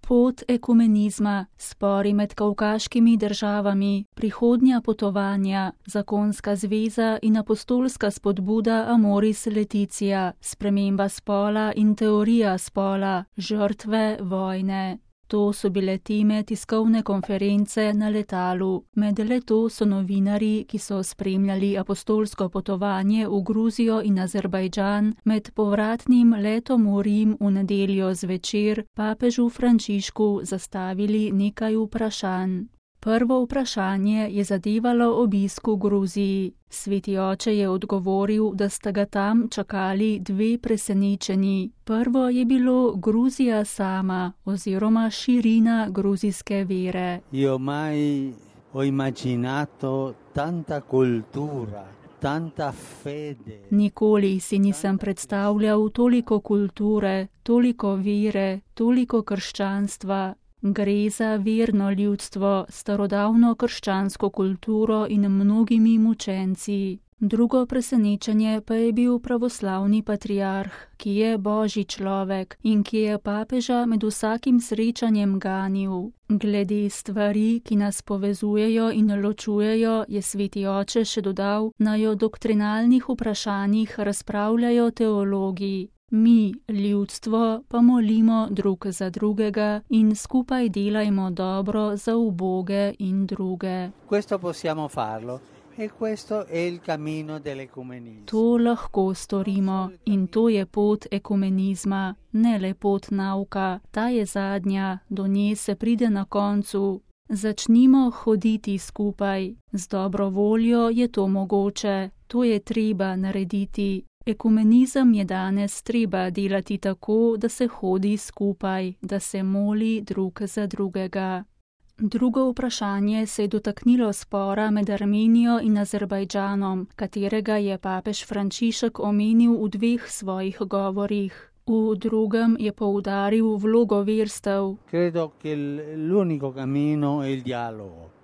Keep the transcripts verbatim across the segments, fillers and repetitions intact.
Pot ekumenizma, spori med kavkaškimi državami, prihodnja potovanja, zakonska zveza in apostolska spodbuda Amoris Laetitia, sprememba spola in teorija spola, žrtve vojne. To so bile teme tiskovne konference na letalu. Med leto so novinarji, ki so spremljali apostolsko potovanje v Gruzijo in Azerbajdžan, med povratnim letom v Rim v nedeljo zvečer papežu Frančišku zastavili nekaj vprašanj. Prvo vprašanje je zadevalo obisk v Gruziji. Sveti oče je odgovoril, da sta ga tam čakali dve presenečenji. Prvo je bilo Gruzija sama oziroma širina gruzijske vere. Io mai ho immaginato tanta cultura, tanta fede. Nikoli si nisem predstavljal toliko kulture, toliko vere, toliko krščanstva. Gre za verno ljudstvo, starodavno krščansko kulturo in mnogimi mučenci. Drugo presenečenje pa je bil pravoslavni patriarh, ki je božji človek in ki je papeža med vsakim srečanjem ganil. Glede stvari, ki nas povezujejo in ločujejo, je sveti oče še dodal, naj o doktrinalnih vprašanjih razpravljajo teologi. Mi, ljudstvo, pa molimo drug za drugega in skupaj delajmo dobro za uboge in druge. Questo possiamo farlo e questo è il cammino dell'ecumenismo. To lahko storimo in to je pot ekumenizma, ne le pot nauka, ta je zadnja, do nje se pride na koncu. Začnimo hoditi skupaj, z dobro voljo je to mogoče, to je treba narediti. Ekumenizem je danes treba delati tako, da se hodi skupaj, da se moli drug za drugega. Drugo vprašanje se je dotaknilo spora med Armenijo in Azerbajdžanom, katerega je papež Frančišek omenil v dveh svojih govorih. V drugem je poudaril vlogo verstev. Credo che l'unico cammino è il dialogo.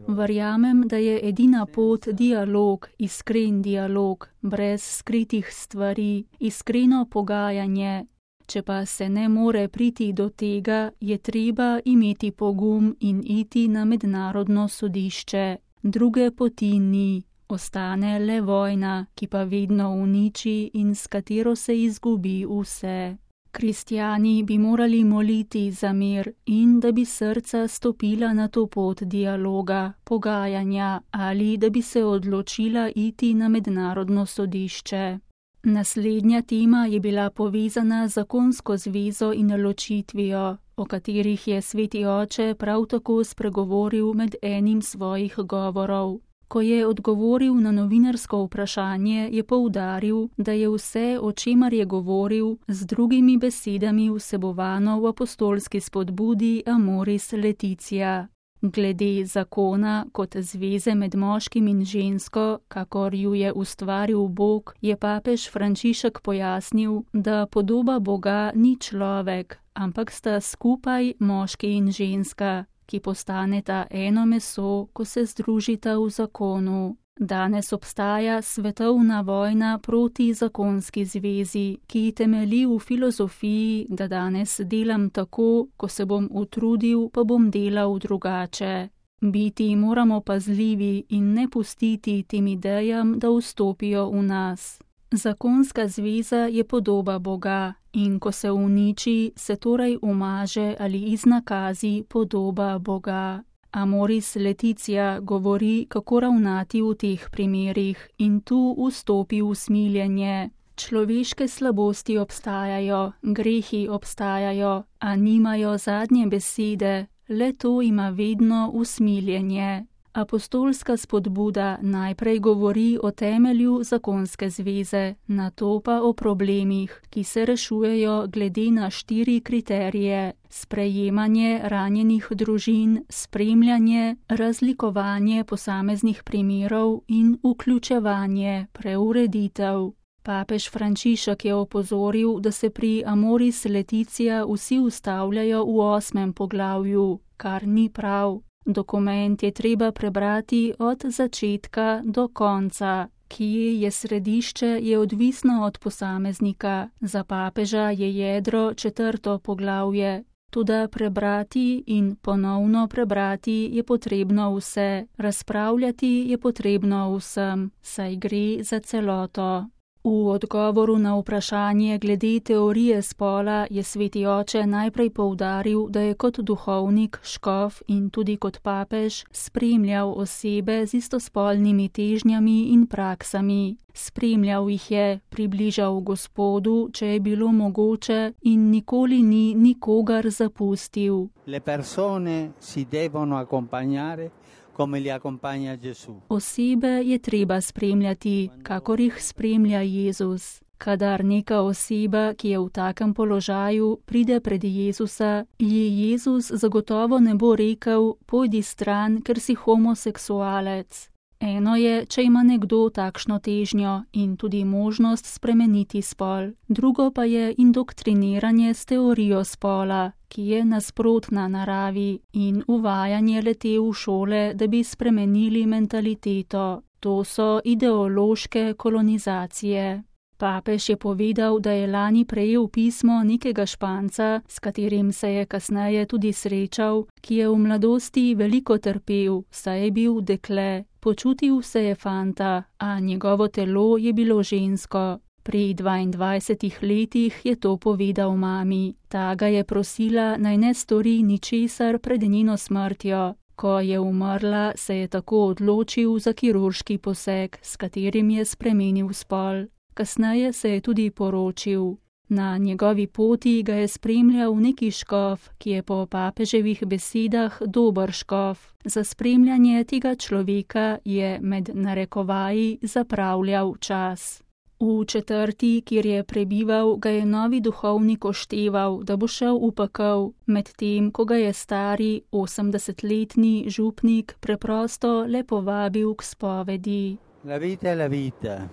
Verjamem, da je edina pot dialog, iskren dialog, brez skritih stvari, iskreno pogajanje. Če pa se ne more priti do tega, je treba imeti pogum in iti na mednarodno sodišče. Druge poti ni, ostane le vojna, ki pa vedno uniči in s katero se izgubi vse. Kristjani bi morali moliti za mir in da bi srca stopila na to pot dialoga, pogajanja ali da bi se odločila iti na mednarodno sodišče. Naslednja tema je bila povezana z zakonsko zvezo in ločitvijo, o katerih je sveti oče prav tako spregovoril med enim svojih govorov. Ko je odgovoril na novinarsko vprašanje, je poudaril, da je vse, o čemer je govoril, z drugimi besedami vsebovano v apostolski spodbudi Amoris Laetitia. Glede zakona kot zveze med moškim in žensko, kakor ju je ustvaril Bog, je papež Frančišek pojasnil, da podoba Boga ni človek, ampak sta skupaj moški in ženska, ki postaneta eno meso, ko se združita v zakonu. Danes obstaja svetovna vojna proti zakonski zvezi, ki temelji v filozofiji, da danes delam tako, ko se bom utrudil, pa bom delal drugače. Biti moramo pazljivi in ne pustiti tem idejam, da vstopijo v nas. Zakonska zveza je podoba Boga in ko se uniči, se torej umaže ali iznakazi podoba Boga. Amoris Laetitia govori, kako ravnati v teh primerih in tu vstopi usmiljenje. Človeške slabosti obstajajo, grehi obstajajo, a nimajo zadnje besede, le to ima vedno usmiljenje. Apostolska spodbuda najprej govori o temelju zakonske zveze, nato pa o problemih, ki se rešujejo glede na štiri kriterije: sprejemanje ranjenih družin, spremljanje, razlikovanje posameznih primerov in vključevanje, preureditev. Papež Frančišek je opozoril, da se pri Amoris Laetitia vsi ustavljajo v osmem poglavju, kar ni prav. Dokument je treba prebrati od začetka do konca. Kje je središče, je odvisno od posameznika. Za papeža je jedro četrto poglavje. Toda prebrati in ponovno prebrati je potrebno vse, razpravljati je potrebno vsem, saj gre za celoto. V odgovoru na vprašanje glede teorije spola je sveti oče najprej poudaril, da je kot duhovnik, škof in tudi kot papež spremljal osebe z istospolnimi težnjami in praksami. Spremljal jih je, približal Gospodu, če je bilo mogoče, in nikoli ni nikogar zapustil. Le persone si devono accompagnare come li accompagna Gesù. Osebe je treba spremljati, kakor jih spremlja Jezus. Kadar neka oseba, ki je v takem položaju, pride pred Jezusa, ji Jezus zagotovo ne bo rekel, pojdi stran, ker si homoseksualec. Eno je, če ima nekdo takšno težnjo in tudi možnost spremeniti spol. Drugo pa je indoktriniranje s teorijo spola, ki je nasprotna naravi, in uvajanje le-te v šole, da bi spremenili mentaliteto. To so ideološke kolonizacije. Papež je povedal, da je lani prejel pismo nekega Španca, s katerim se je kasneje tudi srečal, ki je v mladosti veliko trpel, saj je bil dekle. Počutil se je fanta, a njegovo telo je bilo žensko. Pri dvaindvajsetih letih je to povedal mami. Ta ga je prosila, naj ne stori ničesar pred njeno smrtjo. Ko je umrla, se je tako odločil za kirurški poseg, s katerim je spremenil spol. Kasneje se je tudi poročil. Na njegovi poti ga je spremljal neki škof, ki je po papeževih besedah dober škof. Za spremljanje tega človeka je med narekovaji zapravljal čas. V četrti, kjer je prebival, ga je novi duhovnik ošteval, da bo šel v pekel, medtem ko ga je stari osemdesetletni župnik preprosto le povabil k spovedi. La vita è la vita.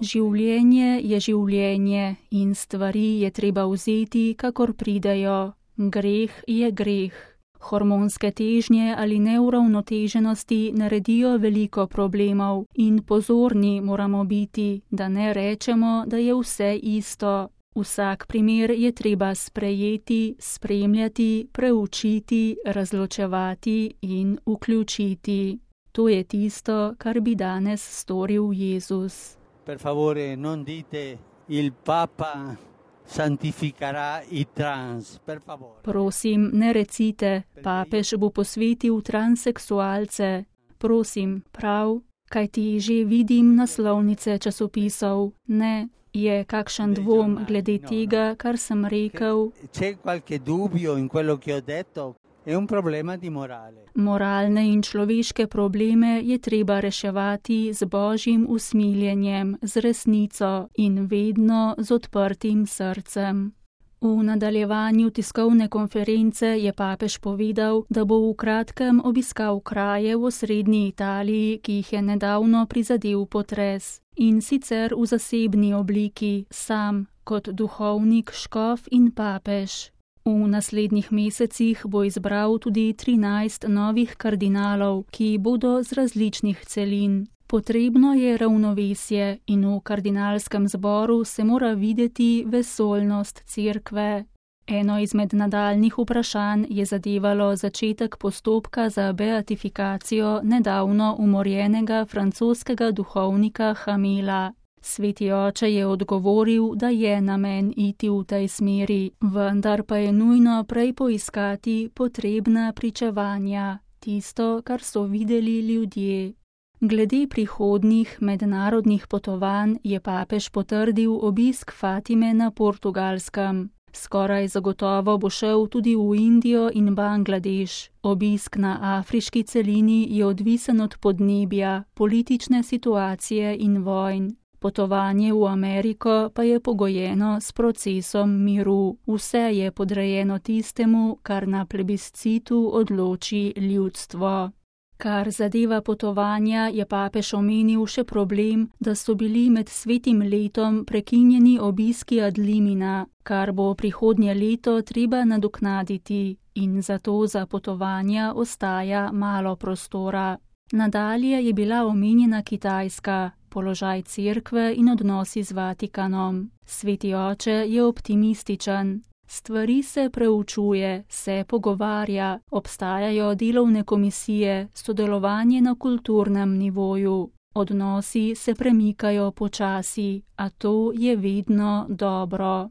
Življenje je življenje in stvari je treba vzeti, kakor pridejo. Greh je greh. Hormonske težnje ali neuravnoteženosti naredijo veliko problemov in pozorni moramo biti, da ne rečemo, da je vse isto. Vsak primer je treba sprejeti, spremljati, preučiti, razločevati in vključiti. To je tisto, kar bi danes storil Jezus. Per favore, non dite il Papa santificarà i trans, per favore. Prosim, ne recite, papež bo posvetil transseksualce. Prosim, prav, kaj ti že vidim naslovnice časopisov. Ne, je kakšen dvom glede tega, kar sem rekel. C'è qualche dubbio in quello che ho detto? È un problema di morale. Moralne in človeške probleme je treba reševati z božjim usmiljenjem, z resnico in vedno z odprtim srcem. V nadaljevanju tiskovne konference je papež povedal, da bo v kratkem obiskal kraje v osrednji Italiji, ki jih je nedavno prizadel potres, in sicer v zasebni obliki, sam, kot duhovnik, škof in papež. V naslednjih mesecih bo izbral tudi trinajst novih kardinalov, ki bodo z različnih celin. Potrebno je ravnovesje in v kardinalskem zboru se mora videti vesoljnost cerkve. Eno izmed nadaljnih vprašanj je zadevalo začetek postopka za beatifikacijo nedavno umorjenega francoskega duhovnika Hamela. Sveti oče je odgovoril, da je namen iti v tej smeri, vendar pa je nujno prej poiskati potrebna pričevanja, tisto, kar so videli ljudje. Glede prihodnjih mednarodnih potovanj je papež potrdil obisk Fatime na Portugalskem. Skoraj zagotovo bo šel tudi v Indijo in Bangladeš. Obisk na afriški celini je odvisen od podnebja, politične situacije in vojn. Potovanje v Ameriko pa je pogojeno s procesom miru. Vse je podrejeno tistemu, kar na plebiscitu odloči ljudstvo. Kar zadeva potovanja, je papež omenil še problem, da so bili med svetim letom prekinjeni obiski ad limina, kar bo prihodnje leto treba nadoknaditi in zato za potovanja ostaja malo prostora. Nadalje je bila omenjena Kitajska, položaj cerkve in odnosi z Vatikanom. Sveti oče je optimističen. Stvari se preučuje, se pogovarja, obstajajo delovne komisije, sodelovanje na kulturnem nivoju. Odnosi se premikajo počasi, a to je vedno dobro.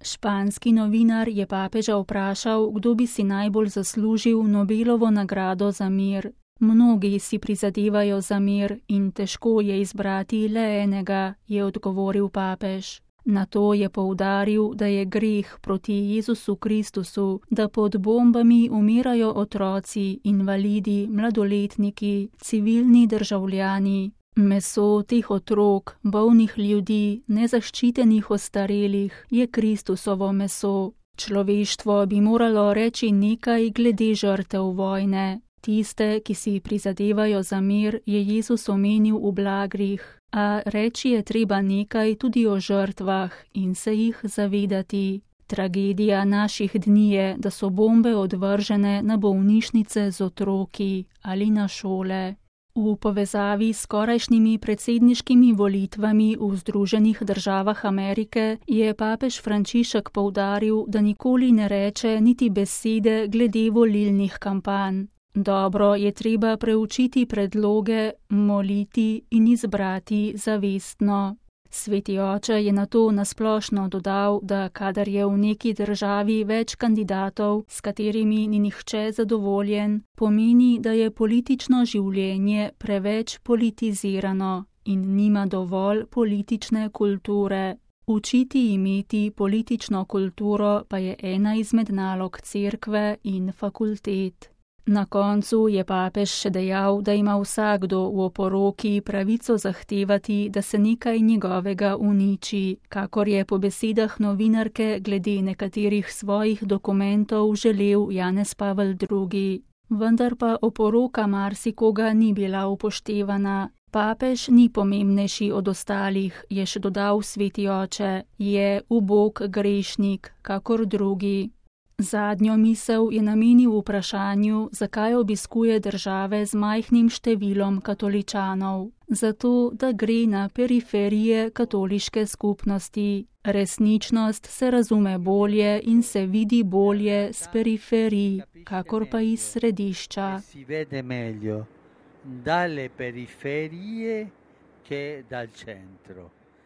Španski novinar je papeža vprašal, kdo bi si najbolj zaslužil Nobelovo nagrado za mir. Mnogi si prizadevajo za mir in težko je izbrati le enega, je odgovoril papež. Nato je poudaril, da je greh proti Jezusu Kristusu, da pod bombami umirajo otroci, invalidi, mladoletniki, civilni državljani. Meso teh otrok, bolnih ljudi, nezaščitenih ostarelih je Kristusovo meso. Človeštvo bi moralo reči nekaj glede žrtev vojne. Tiste, ki si prizadevajo za mir, je Jezus omenil v blagrih, a reči je treba nekaj tudi o žrtvah in se jih zavedati. Tragedija naših dni je, da so bombe odvržene na bolnišnice z otroki ali na šole. V povezavi s skorajšnjimi predsedniškimi volitvami v Združenih državah Amerike je papež Frančišek poudaril, da nikoli ne reče niti besede glede volilnih kampanj. Dobro je treba preučiti predloge, moliti in izbrati zavestno. Sveti oče je nato nasplošno dodal, da kadar je v neki državi več kandidatov, s katerimi ni nihče zadovoljen, pomeni, da je politično življenje preveč politizirano in nima dovolj politične kulture. Učiti imeti politično kulturo pa je ena izmed nalog cerkve in fakultet. Na koncu je papež še dejal, da ima vsakdo v oporoki pravico zahtevati, da se nekaj njegovega uniči, kakor je po besedah novinarke glede nekaterih svojih dokumentov želel Janez Pavel drugi. Vendar pa oporoka marsikoga ni bila upoštevana. Papež ni pomembnejši od ostalih, je še dodal sveti oče, je ubog grešnik, kakor drugi. Zadnjo misel je namenil vprašanju, zakaj obiskuje države z majhnim številom katoličanov. Zato, da gre na periferije katoliške skupnosti. Resničnost se razume bolje in se vidi bolje s periferij, kakor pa iz središča. Dalle periferie che dal centro.